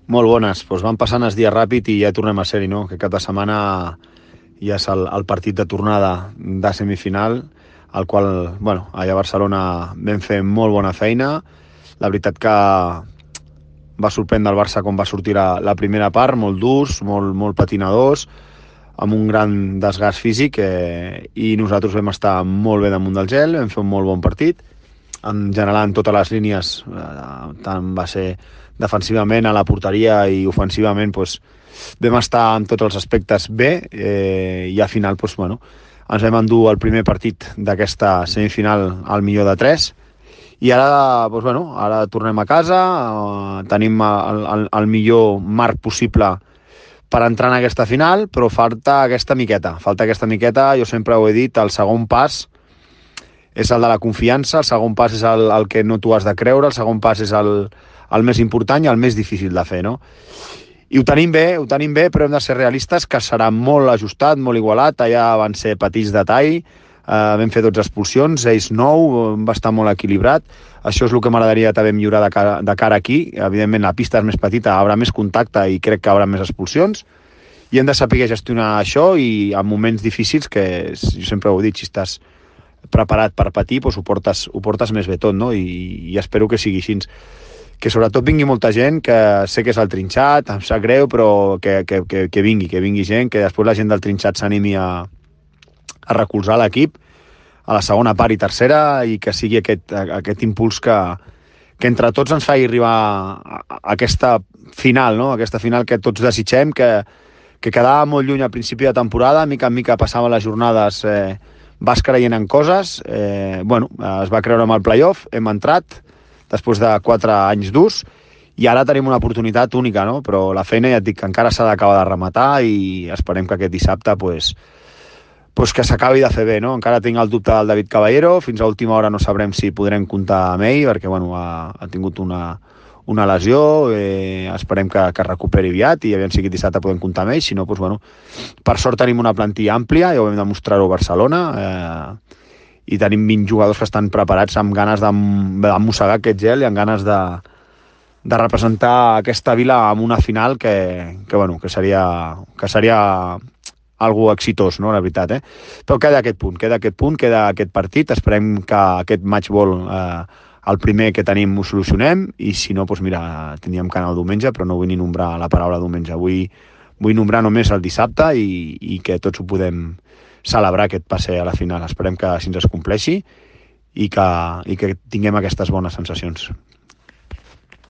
Molt bones. Doncs van passant els dies ràpid i ja tornem a ser-hi, no? Que cada setmana ja és el partit de tornada de semifinal, al qual, bueno, allà a Barcelona vam fer molt bona feina. La veritat que va sorprendre el Barça com va sortir la primera part, molt durs, molt patinadors, amb un gran desgast físic, i nosaltres vam estar molt bé damunt del gel, vam fer un molt bon partit, en general en totes les línies, tant va ser defensivament a la porteria i ofensivament, doncs, vam estar en tots els aspectes bé, i al final doncs, bueno, ens vam endur el primer partit d'aquesta semifinal al millor de 3, i ara, doncs, bueno, ara tornem a casa, tenim el millor marc possible per entrar en aquesta final, però falta aquesta miqueta, jo sempre ho he dit, el segon pas és el de la confiança, el segon pas és el que no t'ho has de creure, el segon pas és el més important i el més difícil de fer, no? I ho tenim bé, però hem de ser realistes, que serà molt ajustat, molt igualat, allà van ser petits detalls, vam fer 12 expulsions, ells 9, va estar molt equilibrat. Això és el que m'agradaria també millorar de cara aquí. Evidentment la pista és més petita, haurà més contacte i crec que haurà més expulsions, i hem de saber gestionar això, i en moments difícils, que jo sempre ho he dit, si estàs preparat per patir, doncs ho portes més bé tot, no? I espero que sigui així. Que sobretot vingui molta gent, que sé que és el Trinxat, em sap greu, però que vingui gent, que després la gent del Trinxat s'animi a recolzar l'equip a la segona part i tercera, i que sigui aquest impuls que entre tots ens faci arribar a aquesta final, no? Aquesta final que tots desitgem, que quedava molt lluny al principi de temporada, mica en mica passaven les jornades, vas creient en coses, es va creure amb el playoff, hem entrat després de 4 anys durs, i ara tenim una oportunitat única, no? Però la feina, ja et dic, que encara s'ha d'acabar de rematar, i esperem que aquest dissabte pues que s'acabi de fer bé, no? Encara tinc el dubte del David Caballero, fins a última hora no sabrem si podrem comptar amb ell, perquè ha tingut una lesió, esperem que recuperi aviat, i aviam si aquest dissabte podem comptar amb ell. Si no, per sort tenim una plantilla àmplia, ja ho vam demostrar-ho a Barcelona, i tenim 20 jugadors que estan preparats amb ganes de mossegar aquest gel i amb ganes de representar aquesta vila en una final que seria algo exitós, no?, la veritat, Però queda aquest punt, queda aquest partit, esperem que aquest matchball, el primer que tenim, ho solucionem, i si no, mira, tindríem que anar el diumenge, però no vull ni nombrar la paraula diumenge, vull nombrar només el dissabte, i que tots ho podem celebrar, aquest passe a la final. Esperem que així ens compleixi i que tinguem aquestes bones sensacions.